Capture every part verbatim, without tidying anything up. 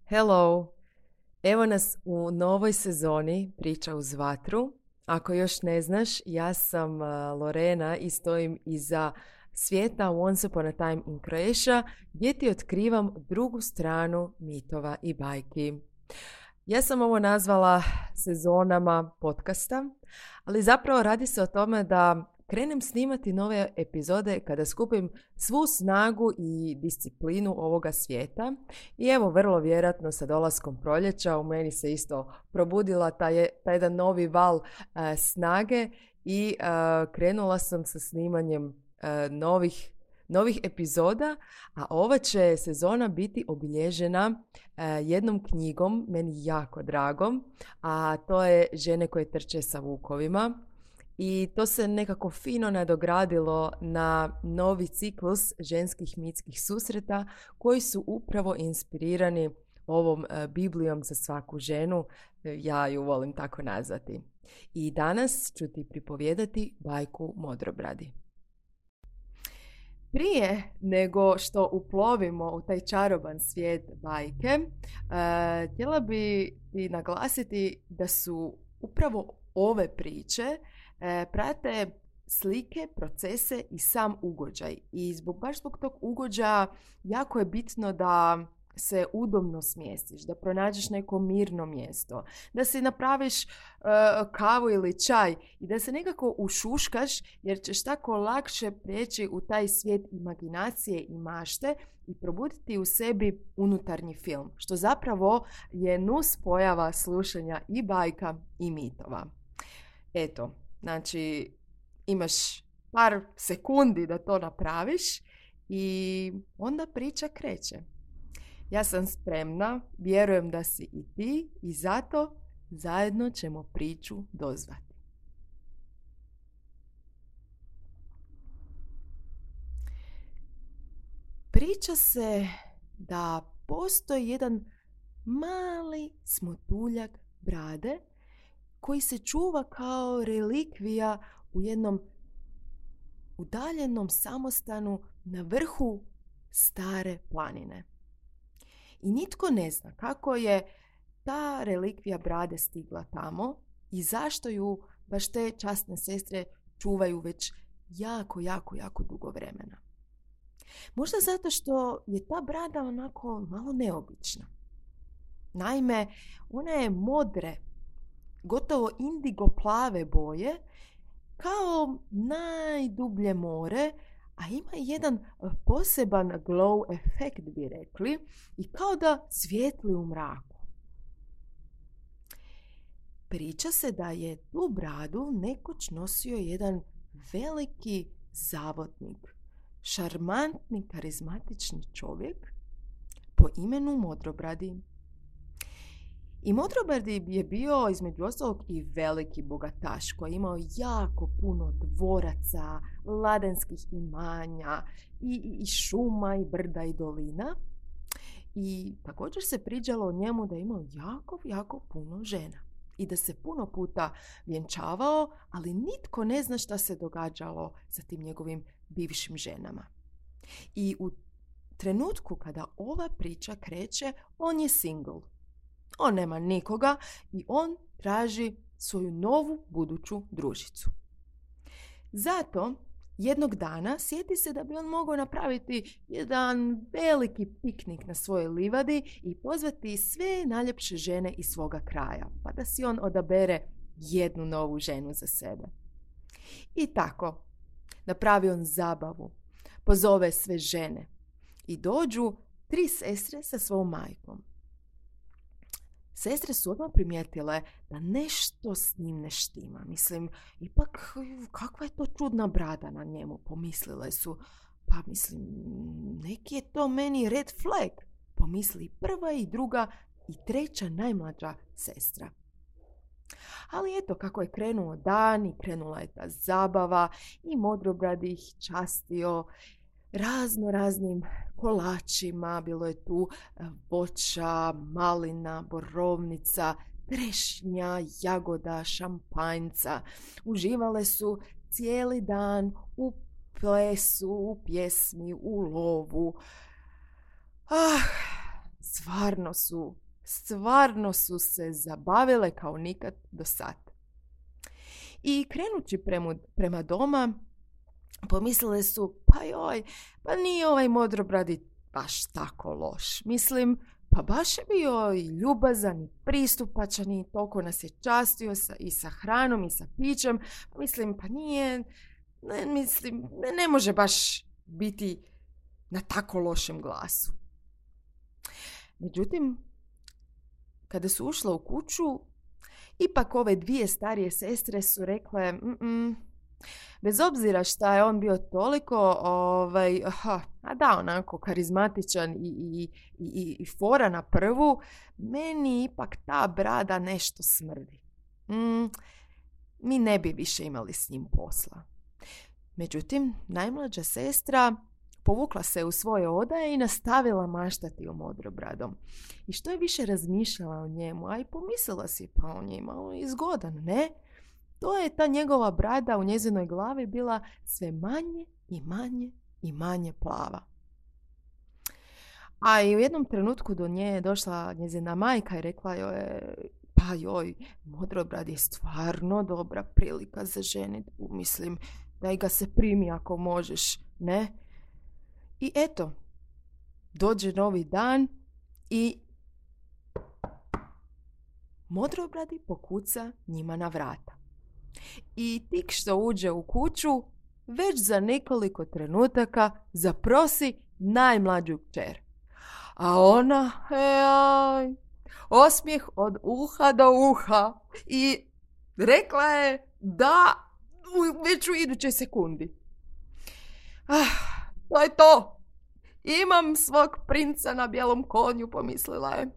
Hello! Evo nas u novoj sezoni Priča uz vatru. Ako još ne znaš, ja sam uh, Lorena i stojim iza svijeta Once Upon a Time in Croatia, gdje ti otkrivam drugu stranu mitova i bajki. Ja sam ovo nazvala sezonama podcasta, ali zapravo radi se o tome da krenem snimati nove epizode kada skupim svu snagu i disciplinu ovoga svijeta. I evo, vrlo vjerojatno sa dolaskom proljeća u meni se isto probudila taj, taj jedan novi val uh, snage i uh, krenula sam sa snimanjem uh, novih novih epizoda, a ova će sezona biti obilježena uh, jednom knjigom, meni jako dragom, a to je Žene koje trče sa vukovima. I to se nekako fino nadogradilo na novi ciklus ženskih mitskih susreta koji su upravo inspirirani ovom uh, Biblijom za svaku ženu, ja ju volim tako nazvati. I danas ću ti pripovijedati bajku Modrobradi. Prije nego što uplovimo u taj čaroban svijet bajke, uh, htjela bi ti naglasiti da su upravo ove priče uh, prate slike, procese i sam ugođaj. I zbog, baš zbog tog ugođaja jako je bitno da se udobno smjestiš, da pronađeš neko mirno mjesto, da si napraviš uh, kavu ili čaj i da se nekako ušuškaš, jer ćeš tako lakše prijeći u taj svijet imaginacije i mašte i probuditi u sebi unutarnji film, što zapravo je nus pojava slušanja i bajka i mitova. Eto, znači imaš par sekundi da to napraviš i onda priča kreće. Ja sam spremna, vjerujem da si i ti i zato zajedno ćemo priču dozvati. Priča se da postoji jedan mali smotuljak brade koji se čuva kao relikvija u jednom udaljenom samostanu na vrhu stare planine. I nitko ne zna kako je ta relikvija brade stigla tamo i zašto ju baš te časne sestre čuvaju već jako, jako, jako dugo vremena. Možda zato što je ta brada onako malo neobična. Naime, ona je modre, gotovo indigo plave boje, kao najdublje more, a ima jedan poseban glow efekt, bi rekli, i kao da svijetli u mraku. Priča se da je tu bradu nekoć nosio jedan veliki zavodnik, šarmantni, karizmatični čovjek po imenu Modrobradi. I Modrobradi je bio između ostalog i veliki bogataš koji je imao jako puno dvoraca, ladanskih imanja i, i šuma i brda i dolina. I također se pričalo o njemu da je imao jako, jako puno žena i da se puno puta vjenčavao, ali nitko ne zna šta se događalo sa tim njegovim bivšim ženama. I u trenutku kada ova priča kreće, on je single. On nema nikoga i on traži svoju novu buduću družicu. Zato jednog dana sjeti se da bi on mogao napraviti jedan veliki piknik na svojoj livadi i pozvati sve najljepše žene iz svoga kraja, pa da si on odabere jednu novu ženu za sebe. I tako, napravi on zabavu, pozove sve žene i dođu tri sestre sa svom majkom. Sestre su odmah primijetile da nešto s njim ne štima. Mislim, ipak kakva je to čudna brada na njemu, pomislile su. Pa mislim, neki je to meni red flag, pomisli prva i druga i treća najmlađa sestra. Ali eto, kako je krenuo dan i krenula je ta zabava i Modrobradi ih častio razno raznim kolačima, bilo je tu voća, malina, borovnica, trešnja, jagoda, šampanjca. Uživale su cijeli dan u plesu, u pjesmi, u lovu. Ah, stvarno su, stvarno su se zabavile kao nikad do sad. I krenući prema, prema doma, pomislile su, pa joj, pa nije ovaj Modrobradi baš tako loš. Mislim, pa baš je bio i ljubazan i pristupačan i toliko nas je častio sa, i sa hranom i sa pićem. Mislim, pa nije, ne, mislim, ne, ne može baš biti na tako lošem glasu. Međutim, kada su ušle u kuću, ipak ove dvije starije sestre su rekle, mm bez obzira šta je on bio toliko, ovaj, aha, a da, onako karizmatičan i, i, i, i fora na prvu, meni ipak ta brada nešto smrdi. Mm, mi ne bi više imali s njim posla. Međutim, najmlađa sestra povukla se u svoje odaje i nastavila maštati o Modrobradom. I što je više razmišljala o njemu, a i pomislila si, pa on je malo izgodan, ne? To je ta njegova brada u njezinoj glavi bila sve manje i manje i manje plava. A i u jednom trenutku do nje je došla njezina majka i rekla joj, pa joj, Modrobrad je stvarno dobra prilika za ženitbu. Mislim, daj ga se primi ako možeš, ne? I eto, dođe novi dan i Modrobradi pokuca njima na vrata. I tik što uđe u kuću, već za nekoliko trenutaka zaprosi najmlađu kćer. A ona, ej, osmijeh od uha do uha i rekla je da već u idućoj sekundi. Ah, to je to. Imam svog princa na bijelom konju, pomislila je.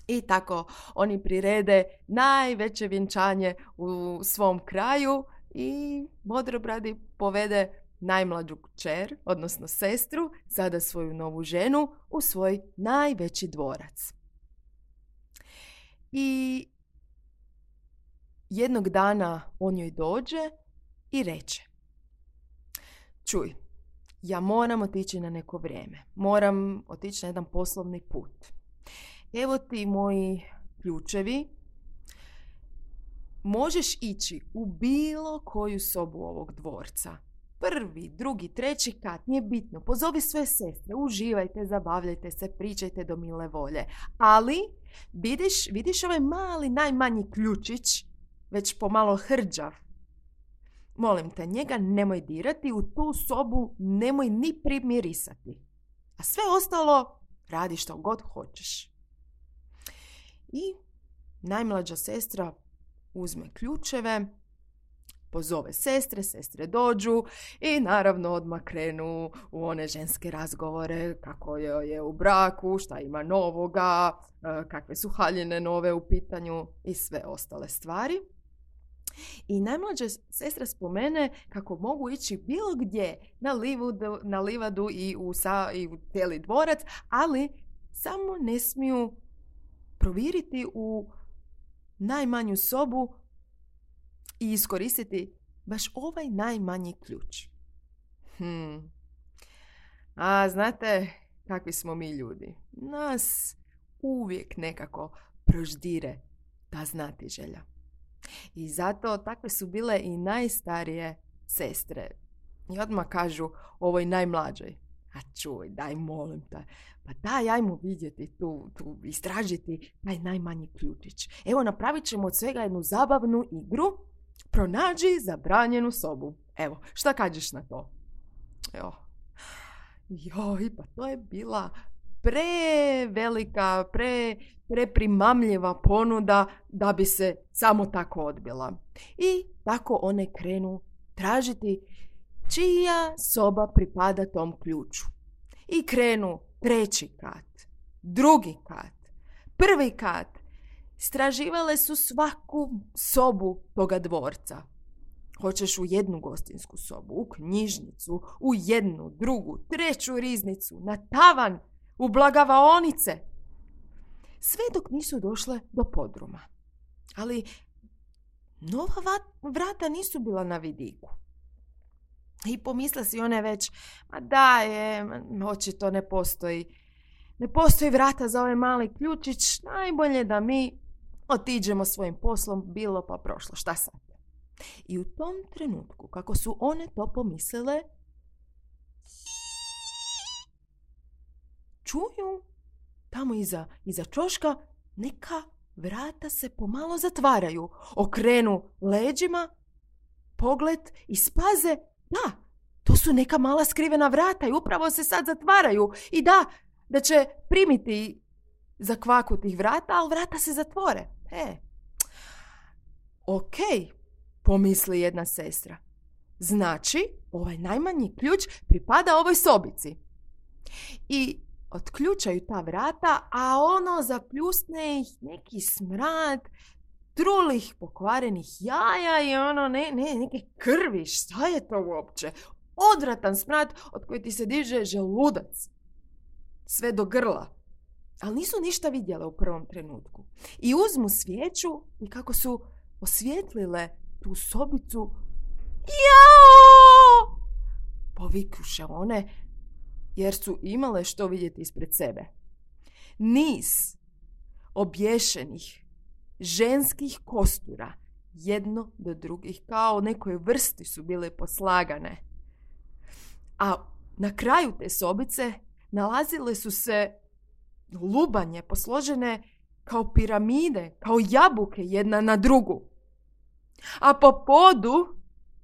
I tako oni prirede najveće vjenčanje u svom kraju i Modrobradi povede najmlađu kćer, odnosno sestru, sada svoju novu ženu, u svoj najveći dvorac. I jednog dana on joj dođe i reče, čuj, ja moram otići na neko vrijeme, moram otići na jedan poslovni put. Evo ti moji ključevi, možeš ići u bilo koju sobu ovog dvorca. Prvi, drugi, treći kat, nije bitno. Pozovi sve sestre, uživajte, zabavljajte se, pričajte do mile volje. Ali vidiš, vidiš ovaj mali, najmanji ključić, već pomalo hrđav. Molim te, njega nemoj dirati, u tu sobu nemoj ni primirisati. A sve ostalo radi što god hoćeš. I najmlađa sestra uzme ključeve, pozove sestre, sestre dođu i naravno odmah krenu u one ženske razgovore kako je, je u braku, šta ima novoga, kakve su haljine nove u pitanju i sve ostale stvari. I najmlađa sestra spomene kako mogu ići bilo gdje na livadu, na livadu i u, sa, i u cijeli dvorac, ali samo ne smiju proviriti u najmanju sobu i iskoristiti baš ovaj najmanji ključ. Hmm. A znate kakvi smo mi ljudi? Nas uvijek nekako proždire ta znatiželja. I zato takve su bile i najstarije sestre. I odmah kažu ovoj najmlađoj, a čuj, daj molim te, pa daj, ajmo vidjeti tu, tu, istražiti taj najmanji ključić. Evo, napravit ćemo od svega jednu zabavnu igru, pronađi zabranjenu sobu. Evo, šta kažeš na to? Evo. Joj, pa to je bila prevelika, pre, preprimamljiva ponuda da bi se samo tako odbila. I tako one krenu tražiti čija soba pripada tom ključu. I krenu treći kat, drugi kat, prvi kat. Istraživale su svaku sobu toga dvorca. Hoćeš u jednu gostinsku sobu, u knjižnicu, u jednu, drugu, treću riznicu, na tavan, u blagavaonice. Sve dok nisu došle do podruma. Ali nova vrata nisu bila na vidiku. I pomisle si one već, ma da je, očito ne postoji. ne postoji vrata za ovaj mali ključić, najbolje da mi otiđemo svojim poslom, bilo pa prošlo, šta sad? I u tom trenutku, kako su one to pomislile, čuju tamo iza, iza čoška neka vrata se pomalo zatvaraju. Okrenu leđima, pogled i spaze, da, to su neka mala skrivena vrata i upravo se sad zatvaraju. I da, da će primiti za kvaku tih vrata, ali vrata se zatvore. E, ok, pomisli jedna sestra. Znači, ovaj najmanji ključ pripada ovoj sobici. I otključaju ta vrata, a ono zapljusne ih neki smrad trulih pokvarenih jaja i ono ne, ne, neke krvi. Šta je to uopće? Odvratan smrad od koji ti se diže želudac. Sve do grla. Ali nisu ništa vidjele u prvom trenutku. I uzmu svijeću i kako su osvijetlile tu sobicu, jao! Povikuše one, jer su imale što vidjeti ispred sebe. Niz obješenih ženskih kostura, jedno do drugih, kao nekoj vrsti su bile poslagane. A na kraju te sobice nalazile su se lubanje posložene kao piramide, kao jabuke jedna na drugu. A po podu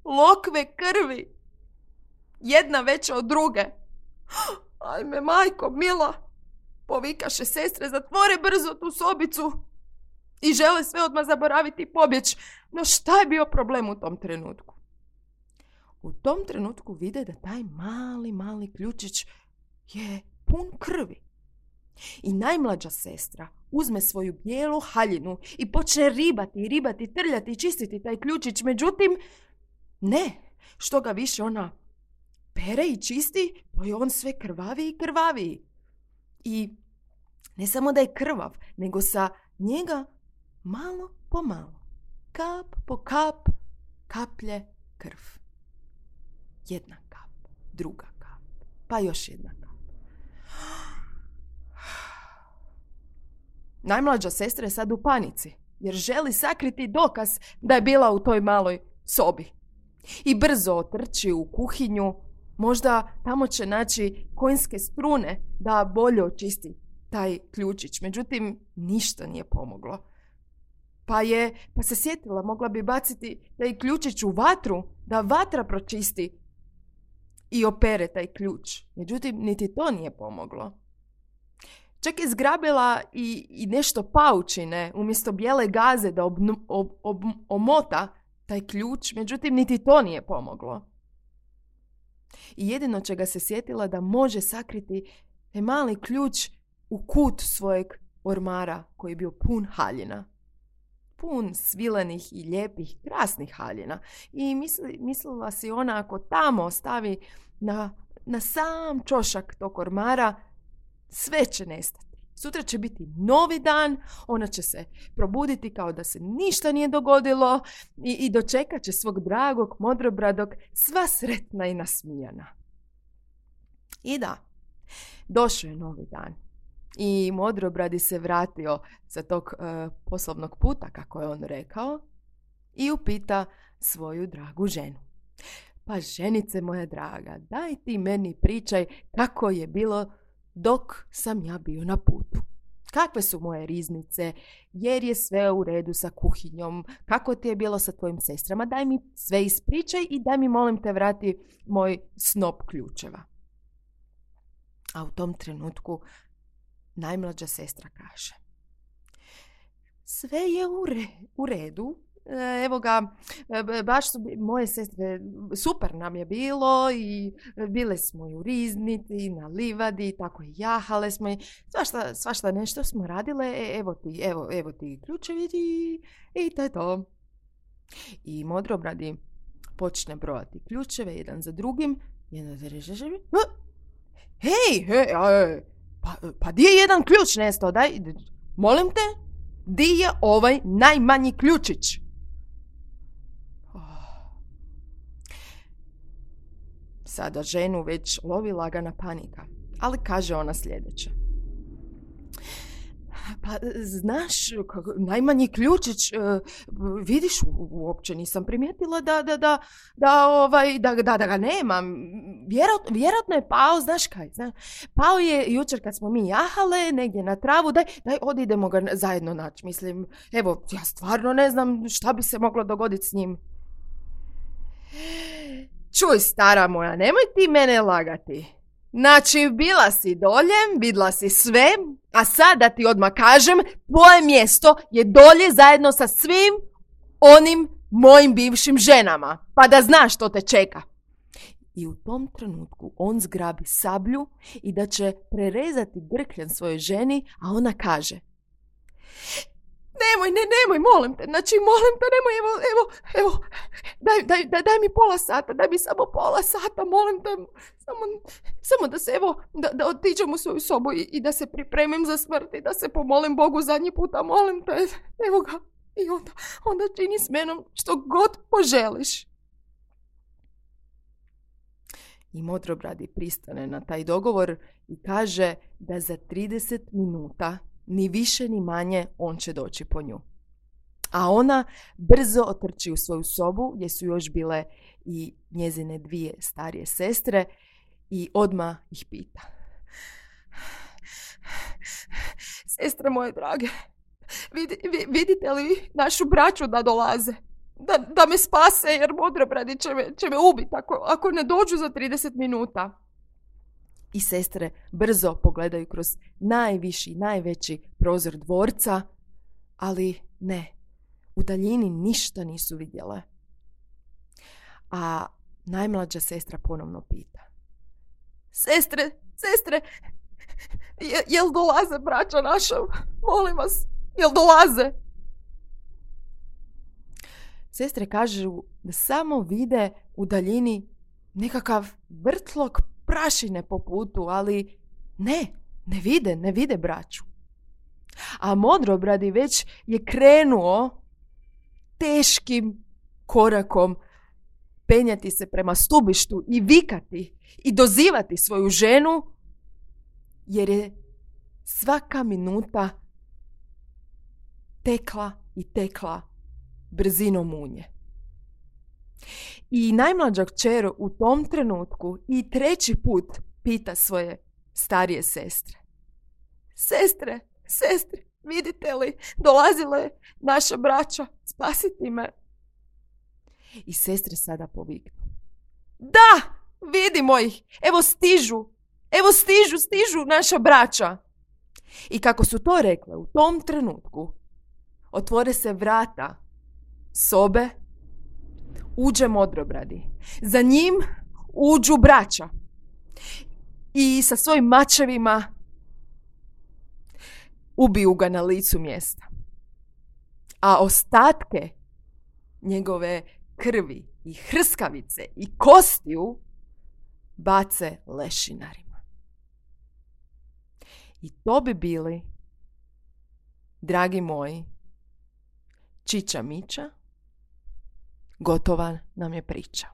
lokve krvi, jedna veća od druge. Ajme, majko mila, povikaše sestre, zatvore brzo tu sobicu i žele sve odmah zaboraviti i pobjeći. No šta je bio problem u tom trenutku? U tom trenutku vide da taj mali, mali ključić je pun krvi. I najmlađa sestra uzme svoju bijelu haljinu i počne ribati, ribati, trljati i čistiti taj ključić. Međutim, ne, što ga više ona pere i čisti, to je on sve krvaviji i krvaviji. I ne samo da je krvav, nego sa njega malo po malo, kap po kap, kaplje krv. Jedna kap, druga kap, pa još jedna kap. Najmlađa sestra je sad u panici, jer želi sakriti dokaz da je bila u toj maloj sobi. I brzo otrči u kuhinju, možda tamo će naći konjske strune da bolje očisti taj ključić. Međutim, ništa nije pomoglo. Pa je, pa se sjetila, mogla bi baciti taj ključić u vatru, da vatra pročisti i opere taj ključ. Međutim, niti to nije pomoglo. Čak je zgrabila i, i nešto paučine umjesto bijele gaze da obnu, ob, ob, omota taj ključ, međutim niti to nije pomoglo. I jedino čega se sjetila da može sakriti je mali ključ u kut svojeg ormara koji je bio pun haljina. Pun svilenih i lijepih, krasnih haljina. I misli, mislila si ona ako tamo stavi na, na sam čošak tog ormara, sve će nestati. Sutra će biti novi dan, ona će se probuditi kao da se ništa nije dogodilo i, i dočekat će svog dragog, modrobradog, sva sretna i nasmijana. I da, došao je novi dan i modrobradi se vratio sa tog uh, poslovnog puta, kako je on rekao, i upita svoju dragu ženu. Pa ženice moja draga, daj ti meni pričaj kako je bilo dok sam ja bio na putu. Kakve su moje riznice, jer je sve u redu sa kuhinjom, kako ti je bilo sa tvojim sestrama, daj mi sve ispričaj i daj mi molim te vrati moj snop ključeva. A u tom trenutku najmlađa sestra kaže: sve je u, re, u redu, evo ga, baš su moje sestre, super nam je bilo i bile smo i u riznici, na livadi, tako i jahale smo i svašta, svašta nešto smo radile, e, evo ti, evo, evo ti ključevi i, i to je to. I modrobradi počne brojati ključeve jedan za drugim, jedan za drugim. Hej, hej, pa, pa di je jedan ključ nestao, daj, molim te, di je ovaj najmanji ključić? Sada ženu već lovi lagana panika, ali kaže ona sljedeće: pa znaš, kako, najmanji ključić, uh, vidiš, u, uopće nisam primijetila da, da, da, da, ovaj, da, da, da ga nemam. Vjerojatno, vjerojatno je pao, znaš kaj, znaš, pao je jučer kad smo mi jahale negdje na travu, daj, daj odidemo ga zajedno naći. Mislim, evo, ja stvarno ne znam šta bi se moglo dogoditi s njim. Čuj, stara moja, nemoj ti mene lagati. Znači, bila si dolje, vidla si sve, a sad da ti odmah kažem, tvoje mjesto je dolje zajedno sa svim onim mojim bivšim ženama, pa da znaš što te čeka. I u tom trenutku on zgrabi sablju i da će prerezati grkljan svojoj ženi, a ona kaže: Nemoj, ne, nemoj, molim te, znači, molim te, nemoj, evo, evo, evo, daj, daj, daj, daj mi pola sata, daj mi samo pola sata, molim te, samo, samo da se, evo, da, da otiđem u svoju sobu i, i da se pripremim za smrt i da se pomolim Bogu zadnji puta, molim te, evo ga, i onda, onda čini s menom što god poželiš. I Modrobradi pristane na taj dogovor i kaže da za trideset minuta ni više ni manje on će doći po nju. A ona brzo otrči u svoju sobu gdje su još bile i njezine dvije starije sestre i odmah ih pita: Sestre moje drage, vid, vidite li našu braću da dolaze? Da, da me spase, jer Modrobradi će me, će me ubiti ako, ako ne dođu za trideset minuta. I sestre brzo pogledaju kroz najviši, najveći prozor dvorca, ali ne, u daljini ništa nisu vidjele. A najmlađa sestra ponovno pita: Sestre, sestre, je, jel dolaze braća naša? Molim vas, jel dolaze? Sestre kažu da samo vide u daljini nekakav vrtlog prašine po putu, ali ne, ne vide, ne vide braću. A Modrobradi već je krenuo teškim korakom penjati se prema stubištu i vikati i dozivati svoju ženu, jer je svaka minuta tekla i tekla brzinom munje. I najmlađa kćer u tom trenutku i treći put pita svoje starije sestre: Sestre, sestre, vidite li, dolazila je naša braća spasiti me. I sestre sada poviknu: Da, vidimo ih, evo stižu, evo stižu, stižu naša braća. I kako su to rekle, u tom trenutku otvore se vrata sobe, uđe Modrobradi. Za njim uđu braća i sa svojim mačevima ubiju ga na licu mjesta. A ostatke njegove krvi i hrskavice i kostiju bace lešinarima. I to bi bili, dragi moji, Čiča Miča. Gotova nam je priča.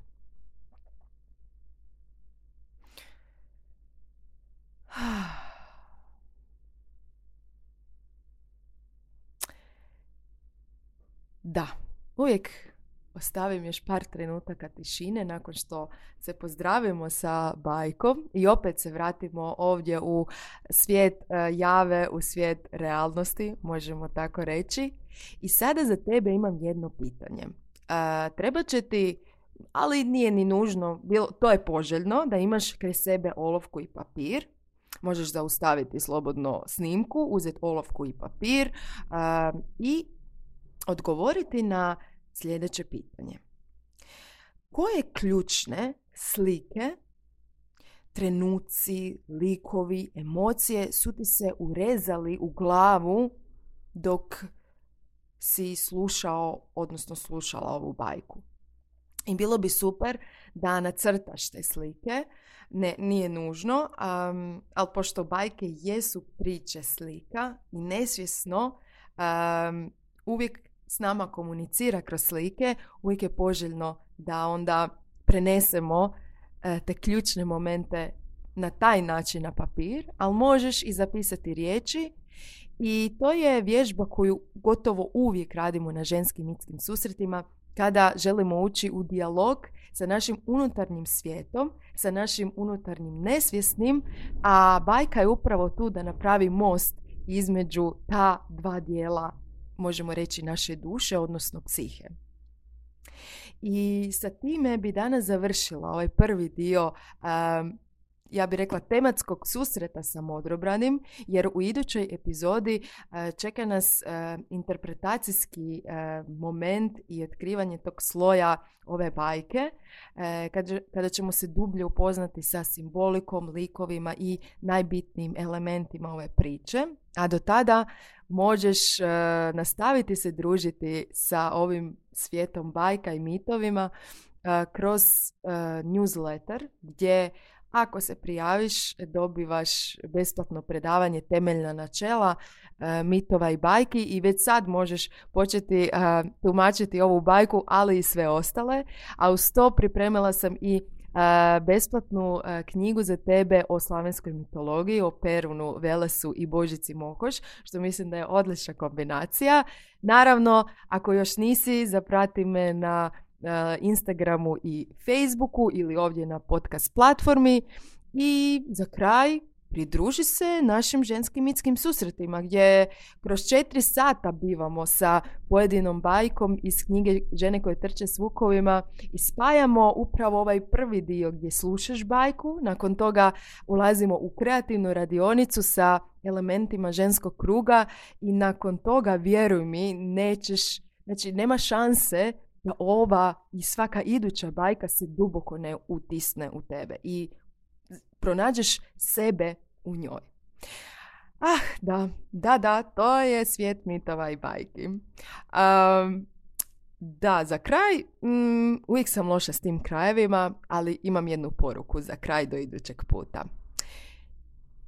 Da, uvijek ostavim još par trenutaka tišine nakon što se pozdravimo sa bajkom i opet se vratimo ovdje u svijet jave, u svijet realnosti, možemo tako reći. I sada za tebe imam jedno pitanje. Uh, treba će ti, ali nije ni nužno, bilo, to je poželjno, da imaš kraj sebe olovku i papir. Možeš zaustaviti slobodno snimku, uzeti olovku i papir uh, i odgovoriti na sljedeće pitanje. Koje ključne slike, trenuci, likovi, emocije su ti se urezali u glavu dok si slušao, odnosno slušala ovu bajku? I bilo bi super da nacrtaš te slike, ne, nije nužno, um, ali pošto bajke jesu priče slika i nesvjesno um, uvijek s nama komunicira kroz slike, uvijek je poželjno da onda prenesemo uh, te ključne momente na taj način na papir, ali možeš i zapisati riječi I to je vježba koju gotovo uvijek radimo na ženskim mitskim susretima kada želimo ući u dijalog sa našim unutarnjim svijetom, sa našim unutarnjim nesvjesnim, a bajka je upravo tu da napravi most između ta dva dijela, možemo reći, naše duše, odnosno psihe. I sa time bi danas završila ovaj prvi dio, um, ja bih rekla, tematskog susreta sa Modrobranim, jer u idućoj epizodi uh, čeka nas uh, interpretacijski uh, moment i otkrivanje tog sloja ove bajke, uh, kada, kada ćemo se dublje upoznati sa simbolikom, likovima i najbitnijim elementima ove priče. A do tada možeš uh, nastaviti se družiti sa ovim svijetom bajka i mitovima uh, kroz uh, newsletter, gdje ako se prijaviš dobivaš besplatno predavanje Temeljna načela uh, mitova i bajki i već sad možeš početi uh, tumačiti ovu bajku, ali i sve ostale. A uz to pripremila sam i Uh, besplatnu uh, knjigu za tebe o slavenskoj mitologiji, o Perunu, Velesu i Božici Mokoš, što mislim da je odlična kombinacija. Naravno, ako još nisi, zaprati me na uh, Instagramu i Facebooku ili ovdje na podcast platformi. I za kraj, pridruži se našim ženskim mitskim susretima gdje kroz četiri sata bivamo sa pojedinom bajkom iz knjige Žene koje trče s vukovima i spajamo upravo ovaj prvi dio gdje slušaš bajku, nakon toga ulazimo u kreativnu radionicu sa elementima ženskog kruga i nakon toga, vjeruj mi, nećeš, znači nema šanse da ova i svaka iduća bajka se duboko ne utisne u tebe i pronađeš sebe u njoj. Ah, da, da, da, to je svijet mitova i bajki. Um, da, za kraj, um, uvijek sam loša s tim krajevima, ali imam jednu poruku za kraj do idućeg puta.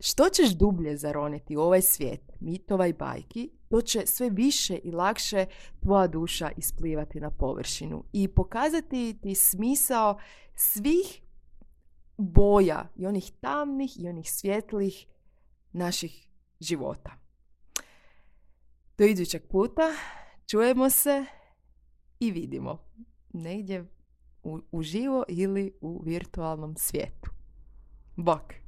Što ćeš dublje zaroniti u ovaj svijet mitova i bajki, to će sve više i lakše tvoja duša isplivati na površinu i pokazati ti smisao svih boja i onih tamnih i onih svjetlih naših života. Do idućeg puta, čujemo se i vidimo negdje u, uživo ili u virtualnom svijetu. Bok!